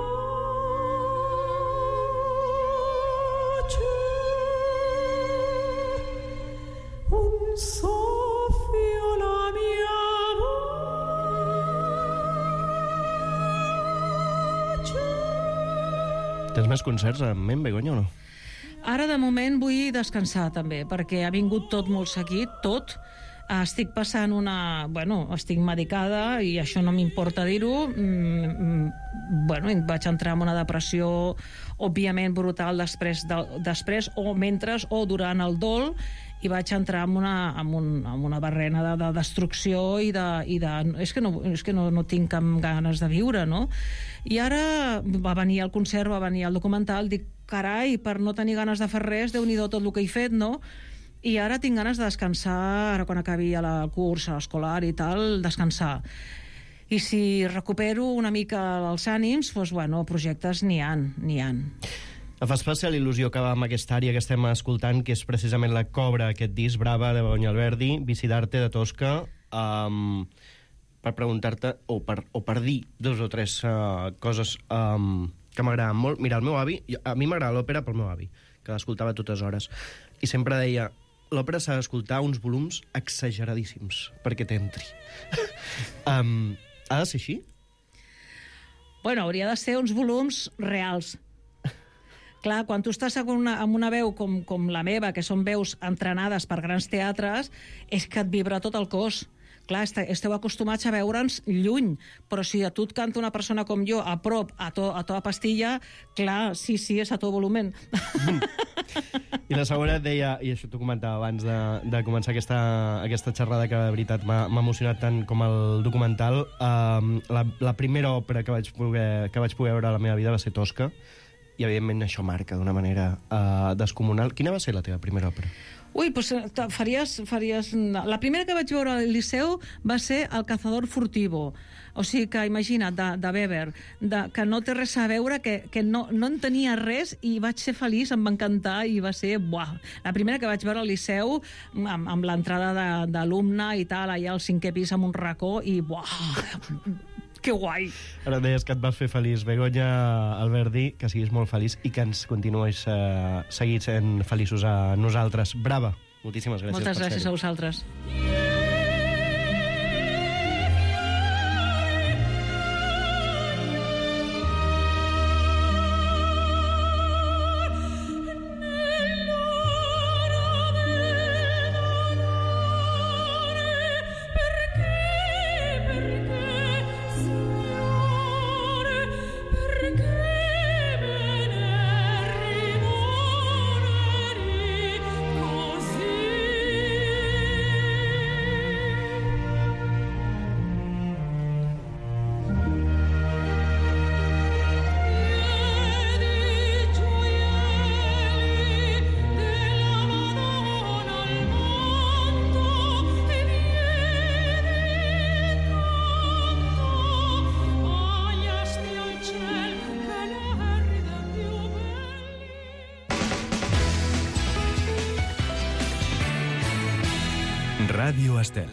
un soffio la mia voce. Tens més concerts en ment, Begoña, o no? Ara, de moment, vull descansar, també, perquè ha vingut tot molt seguit, tot. Estic passant una... Bueno, estic medicada i això no m'importa dir-ho. Mm, bueno, vaig entrar en una depressió òbviament brutal després, de, després o mentre o durant el dol, i vaig entrar en una, en un, en una barrena de, de destrucció i de... I de és que, no, és que no, no tinc cap ganes de viure, no? I ara va venir el concert, va venir el documental, dic, carai, per no tenir ganes de fer res, Déu-n'hi-do tot el que he fet, no? I ara tinc ganes de descansar, ara quan acabi el curs escolar i tal, descansar. I si recupero una mica els ànims, doncs, bueno, projectes n'hi ha, n'hi ha. Em fa especial il·lusió acabar amb aquesta àrea que estem escoltant, que és precisament la Cobra, aquest disc, Brava, de Begoña Alberdi, Vicidarte, de Tosca, um, per preguntar-te, o per, o per dir dos o tres uh, coses um, que m'agraden molt. Mira, el meu avi, a mi m'agrada l'òpera pel meu avi, que l'escoltava a totes hores, i sempre deia, l'òpera s'ha d'escoltar uns volums exageradíssims perquè t'entri. um, ha de ser així? Bueno, hauria de ser uns volums reals. Clar, quan tu estàs amb una, amb una veu com, com la meva, que són veus entrenades per grans teatres, és que et vibra tot el cos. Clar, esteu acostumats a veure'ns lluny, però si a tu et canta una persona com jo, a prop, a to, a to a pastilla, clar, sí, sí, és a tot volumen. I la segona et deia, i això t'ho comentava abans de, de començar aquesta, aquesta xerrada, que de veritat m'ha emocionat tant com el documental, um, la, la primera òpera que vaig, poder, que vaig poder veure a la meva vida va ser Tosca, i evidentment això marca d'una manera uh, descomunal. Quina va ser la teva primera òpera? Ui, doncs faries, faries... La primera que vaig veure al Liceu va ser El cazador furtivo. O sigui que, imagina't, de, de Weber, de, que no té res a veure, que, que no, no en tenia res, i vaig ser feliç, em va encantar, i va ser... Buah. La primera que vaig veure al Liceu, amb, amb l'entrada d'alumne i tal, allà al cinquè pis amb un racó, i buah... Que guai! Ara deies que et vas fer feliç, Begoña Alberdi, que siguis molt feliç i que ens continuïs eh, seguint sent feliços a nosaltres. Brava! Moltíssimes gràcies. Moltes gràcies a vosaltres. Ràdio Estel.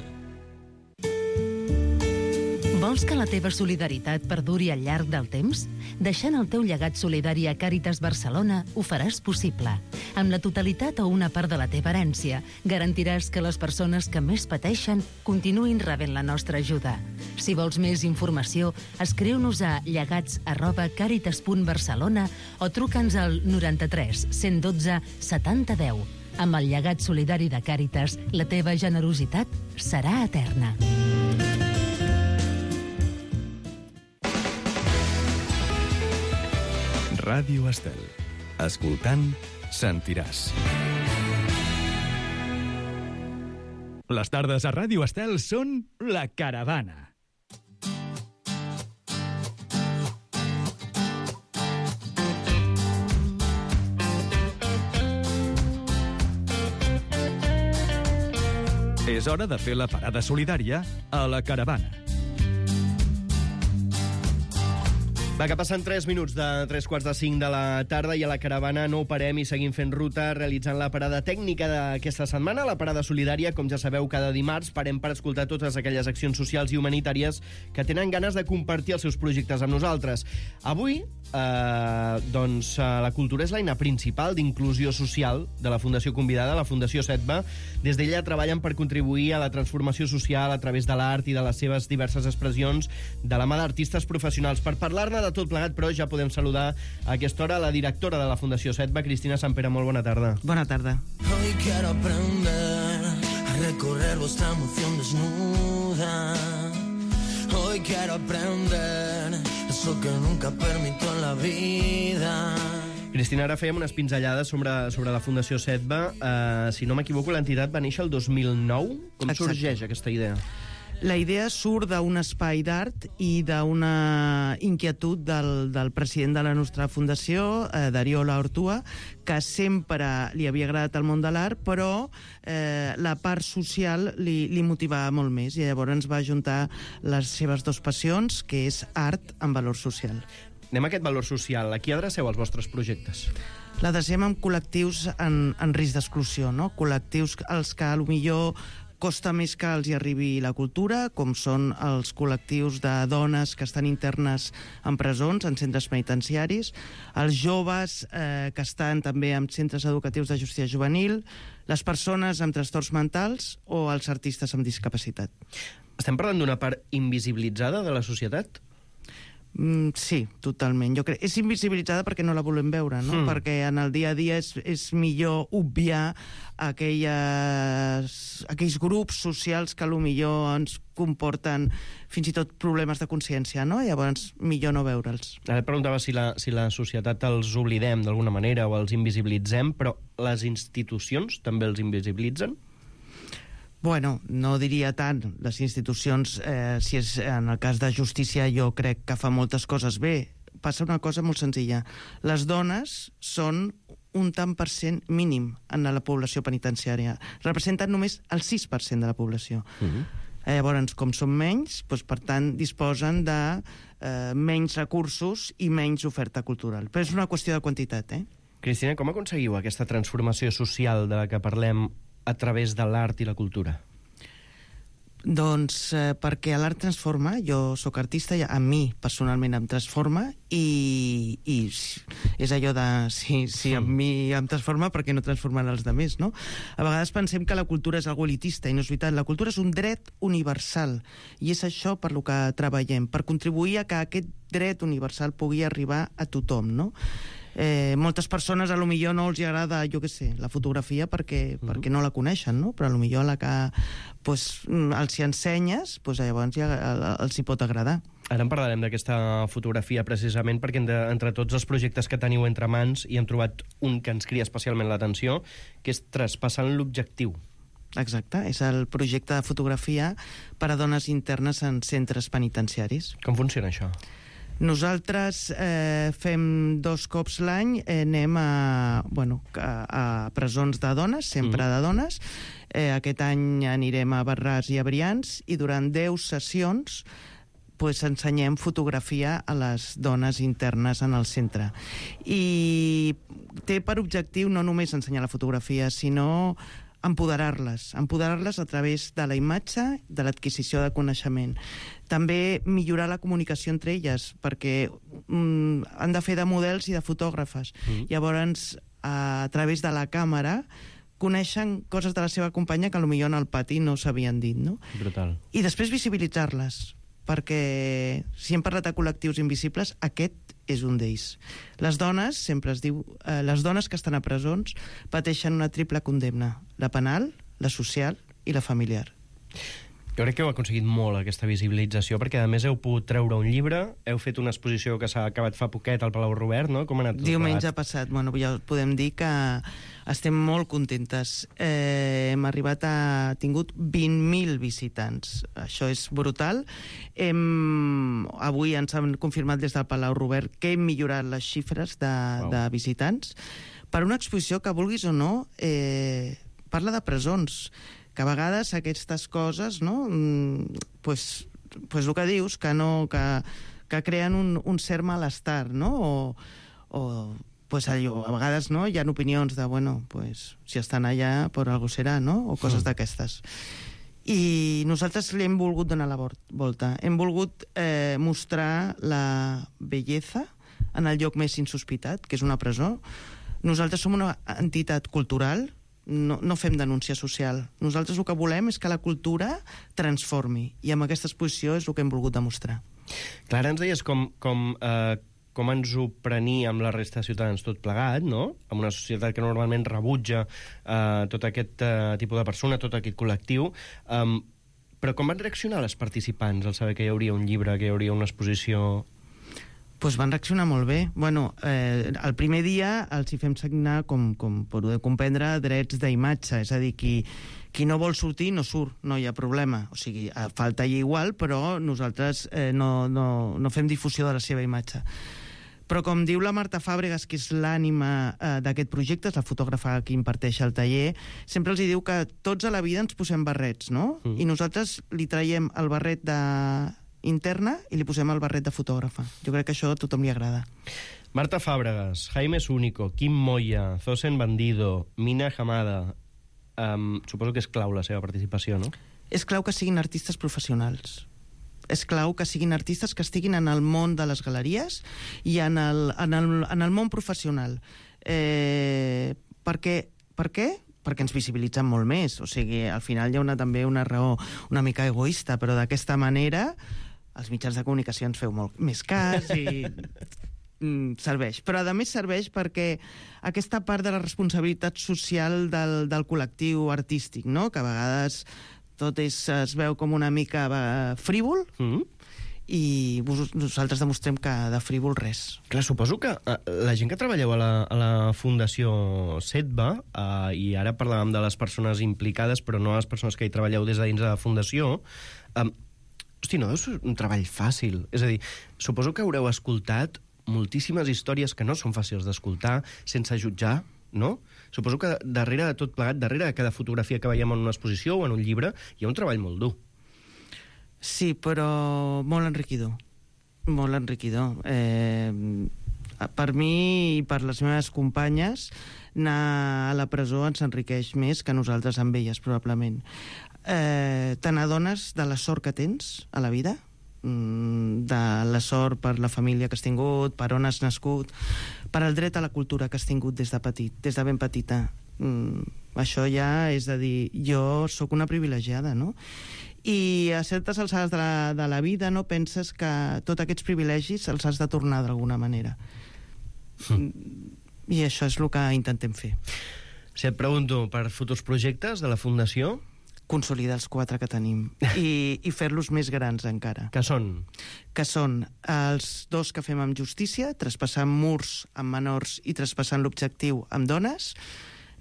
Vols que la teva solidaritat perduri al llarg del temps? Deixant el teu llegat solidari a Càritas Barcelona ho faràs possible. Amb la totalitat o una part de la teva herència, garantiràs que les persones que més pateixen continuïn rebent la nostra ajuda. Si vols més informació, escriu-nos a llegats arroba càritas punt barcelona o truca'ns al noranta-tres cent dotze setanta deu. Amb el llegat solidari de Càritas, la teva generositat serà eterna. Ràdio Estel. Escoltant, sentiràs. Les tardes a Ràdio Estel són La Caravana. És hora de fer la parada solidària a La Caravana. Va, que passen tres minuts de tres quarts de cinc de la tarda i a La Caravana no parem i seguim fent ruta realitzant la parada tècnica d'aquesta setmana, la parada solidària. Com ja sabeu, cada dimarts parem per escoltar totes aquelles accions socials i humanitàries que tenen ganes de compartir els seus projectes amb nosaltres. Avui, eh, doncs, la cultura és l'eina principal d'inclusió social de la Fundació convidada, la Fundació SETBA. Des d'ella treballen per contribuir a la transformació social a través de l'art i de les seves diverses expressions de la mà d'artistes professionals. Per parlar-ne de tot plegat, però, ja podem saludar a aquesta hora la directora de la Fundació SETBA, Cristina Sampere. Molt bona tarda. Bona tarda. Hoy quiero aprender a recorrer vuestra emoción desnuda. Hoy quiero aprender eso que nunca permito en la vida. Cristina, ara fèiem unes pinzellades sobre, sobre la Fundació SETBA. Uh, si no m'equivoco, l'entitat va néixer el dos mil nou. Com Exacte. Sorgeix aquesta idea? La idea surt d'un espai d'art i d'una inquietud del, del president de la nostra fundació, eh, Dariola Ortua, que sempre li havia agradat el món de l'art, però eh, la part social li, li motivava molt més, i llavors ens va ajuntar les seves dues passions, que és art amb valor social. Anem a aquest valor social. A qui adreceu els vostres projectes? L'adrecem amb col·lectius en, en risc d'exclusió, no? Col·lectius als que potser costa més que els hi arribi la cultura, com són els col·lectius de dones que estan internes en presons, en centres penitenciaris, els joves eh, que estan també en centres educatius de justícia juvenil, les persones amb trastorns mentals o els artistes amb discapacitat. Estem parlant d'una part invisibilitzada de la societat? Mm, sí, totalment. Jo crec, és invisibilitzada perquè no la volem veure, no? Mm. Perquè en el dia a dia és, és millor obviar aquelles, aquells grups socials que potser ens comporten fins i tot problemes de consciència, no? Llavors, millor no veure'ls. Ara et preguntava si la, si la societat els oblidem d'alguna manera o els invisibilitzem, però les institucions també els invisibilitzen? Bueno, no diria tant. Les institucions, eh, si és en el cas de justícia, jo crec que fa moltes coses bé. Passa una cosa molt senzilla. Les dones són un tant per cent mínim en la població penitenciària. Representen només el sis per cent de la població. Uh-huh. Eh, llavors, com són menys, doncs, per tant, disposen de eh, menys recursos i menys oferta cultural. Però és una qüestió de quantitat, eh? Cristina, com aconseguiu aquesta transformació social de la que parlem a través de l'art i la cultura? Doncs eh, perquè l'art transforma. Jo sóc artista i a mi personalment em transforma i, i és allò de si, si a mi em transforma, perquè no transformarà els altres, no? A vegades pensem que la cultura és algo elitista i no és veritat. La cultura és un dret universal i és això per lo que treballem, per contribuir a que aquest dret universal pugui arribar a tothom, no? Eh, moltes persones a lo millor no els agrada, jo què sé, la fotografia perquè, uh-huh. perquè no la coneixen, no? Però a lo millor a la que pues, els hi ensenyes, pues, llavors ja els hi pot agradar. Ara en parlarem d'aquesta fotografia precisament perquè entre, entre tots els projectes que teniu entre mans hi hem trobat un que ens crida especialment l'atenció, que és Traspassant l'Objectiu. Exacte, és el projecte de fotografia per a dones internes en centres penitenciaris. Com funciona això? Nosaltres eh, fem dos cops l'any, eh, anem a, bueno, a, a presons de dones, sempre mm. de dones. Eh, aquest any anirem a Barràs i a Brians i durant deu sessions pues, ensenyem fotografia a les dones internes en el centre. I té per objectiu no només ensenyar la fotografia, sinó empoderar-les, empoderar-les a través de la imatge, de l'adquisició de coneixement. També millorar la comunicació entre elles, perquè mm, han de fer de models i de fotògrafes. Mm. Llavors, a través de la càmera, coneixen coses de la seva companya que potser en el pati no s'havien dit, no? Brutal. I després visibilitzar-les, perquè si hem parlat de col·lectius invisibles, aquest és un d'ells. Les dones, sempre es diu, eh, les dones que estan a presons pateixen una triple condemna, la penal, la social i la familiar. Jo crec que heu aconseguit molt aquesta visibilització, perquè a més heu pogut treure un llibre, heu fet una exposició que s'ha acabat fa poquet al Palau Robert, no? Com ha anat tot Diumenge plegat? passat, bueno, ja podem dir que estem molt contentes. Eh, hem arribat a... tingut vint mil visitants. Això és brutal. Hem, avui ens han confirmat des del Palau Robert que hem millorat les xifres de, wow. de visitants per una exposició que, vulguis o no, eh, parla de presons, que a vegades aquestes coses, no?, mm, pues, pues el que dius, que, no, que, que creen un, un cert malestar, no?, o, o pues allò, a vegades, no?, hi ha opinions de, bueno, pues, si estan allà, per algú serà, no?, o coses mm. d'aquestes. I nosaltres li hem volgut donar la volta. Hem volgut eh, mostrar la bellesa en el lloc més insospitat, que és una presó. Nosaltres som una entitat cultural, no, no fem denúncia social. Nosaltres el que volem és que la cultura transformi, i amb aquesta exposició és el que hem volgut demostrar. Clara, ens deies com, com, eh, com ens ho preníem la resta de ciutadans tot plegat, no? En una societat que normalment rebutja eh, tot aquest eh, tipus de persona, tot aquest col·lectiu. Um, però com van reaccionar les participants al saber que hi hauria un llibre, que hi hauria una exposició? Pues van reaccionar molt bé. Bueno, eh, el primer dia els hi fem signar, com, com podeu comprendre, drets d'imatge. És a dir, qui, qui no vol sortir no surt, no hi ha problema. O sigui, falta allà igual, però nosaltres eh, no, no, no fem difusió de la seva imatge. Però com diu la Marta Fàbregas, que és l'ànima eh, d'aquest projecte, és la fotògrafa que imparteix el taller, sempre els hi diu que tots a la vida ens posem barrets, no? Mm. I nosaltres li traiem el barret de... interna i li posem el barret de fotògrafa. Jo crec que això a tothom li agrada. Marta Fàbregas, Jaime Zúñigo, Quim Moya, Zosen Bandido, Mina Hamada... Um, suposo que és clau la seva participació, no? És clau que siguin artistes professionals. És clau que siguin artistes que estiguin en el món de les galeries i en el, en el, en el món professional. Eh, perquè, per què? Perquè ens visibilitzen molt més. O sigui, al final hi ha una, també una raó una mica egoista, però d'aquesta manera els mitjans de comunicació ens feu molt més cas i mm, serveix. Però a més serveix perquè aquesta part de la responsabilitat social del, del col·lectiu artístic, no?, que a vegades tot és, es veu com una mica eh, frívol, mm-hmm. i vos, nosaltres demostrem que de frívol res. Clar, suposo que uh, la gent que treballeu a la, a la Fundació SETBA, uh, i ara parlàvem de les persones implicades, però no les persones que hi treballeu des de dins de la Fundació, um, hosti, no deu ser un treball fàcil. És a dir, suposo que haureu escoltat moltíssimes històries que no són fàcils d'escoltar, sense jutjar, no? Suposo que darrere de tot plegat, darrere de cada fotografia que veiem en una exposició o en un llibre, hi ha un treball molt dur. Sí, però molt enriquidor. Molt enriquidor. Eh, per mi i per les meves companyes, anar a la presó ens enriqueix més que nosaltres amb elles, probablement. Eh, te n'adones de la sort que tens a la vida, de la sort per la família que has tingut, per on has nascut, per el dret a la cultura que has tingut des de petit, des de ben petita. Mm, això ja és a dir, jo sóc una privilegiada, no? I a certes alçades de la, de la vida no penses que tots aquests privilegis els has de tornar d'alguna manera. Mm. I això és el que intentem fer. Si et pregunto per futurs projectes de la Fundació... Consolidar els quatre que tenim i, i fer-los més grans encara. Que són? Que són els dos que fem amb justícia, traspassant murs amb menors i traspassant l'objectiu amb dones,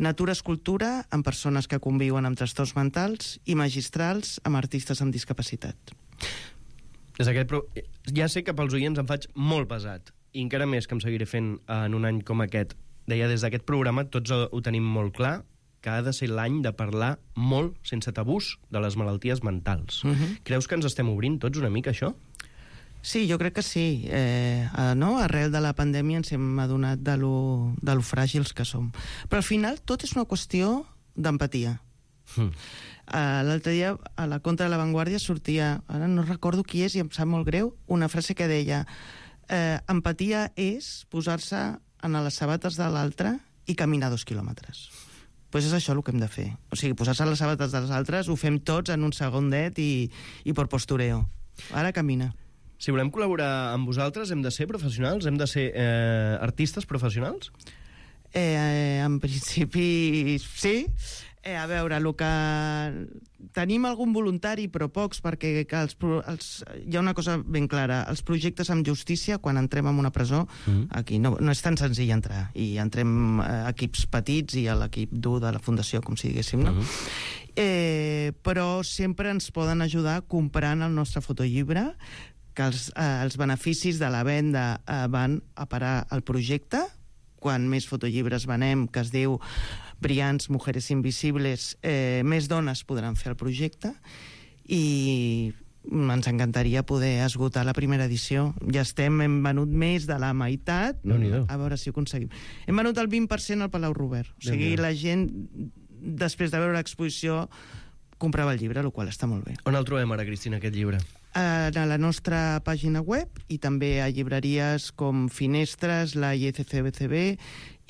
natura escultura amb persones que conviuen amb trastorns mentals i magistrals amb artistes amb discapacitat. Des d'aquest pro... Ja sé que pels oients em faig molt pesat, i encara més que em seguiré fent en un any com aquest. Deia, des d'aquest programa tots ho tenim molt clar, que ha de ser l'any de parlar molt, sense tabús, de les malalties mentals. Uh-huh. Creus que ens estem obrint tots una mica, això? Sí, jo crec que sí. Eh, no? Arrel de la pandèmia ens hem adonat de lo, de lo fràgils que som. Però al final tot és una qüestió d'empatia. Mm. Uh, L'altre dia, a la contra de La Vanguardia, sortia, ara no recordo qui és i em sap molt greu, una frase que deia eh, empatia és posar-se en les sabates de l'altre i caminar dos quilòmetres. Doncs pues és això el que hem de fer. O sigui, posar-se a les sabates dels altres ho fem tots en un segondet i, i per postureo. Ara camina. Si volem col·laborar amb vosaltres, hem de ser professionals? Hem de ser eh, artistes professionals? Eh, en principi, sí. Eh, a veure, el que... Tenim algun voluntari, però pocs, perquè que els, els, hi ha una cosa ben clara. Els projectes amb justícia, quan entrem en una presó, mm. aquí no, no és tan senzill entrar. I entrem eh, equips petits i a l'equip dur de la fundació, com si diguéssim, no? Mm. Eh, però sempre ens poden ajudar comprant el nostre fotollibre, que els, eh, els beneficis de la venda eh, van a parar al projecte. Quan més fotollibres venem, que es diu Brillants, Mujeres Invisibles, eh, més dones podran fer el projecte i ens encantaria poder esgotar la primera edició. Ja estem, hem venut més de la meitat. A veure si ho aconseguim. Hem venut el vint per cent al Palau Robert. O sigui, la gent, després de veure l'exposició, comprava el llibre, el qual està molt bé. On el trobem ara, Cristina, aquest llibre? A la nostra pàgina web i també a llibreries com Finestres, la I C C B C B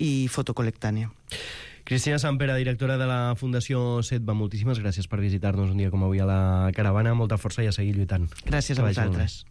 i Fotocolectània. Cristina Sampere, directora de la Fundació Setva, moltíssimes gràcies per visitar-nos un dia com avui a la caravana. Molta força i a seguir lluitant. Gràcies a vosaltres.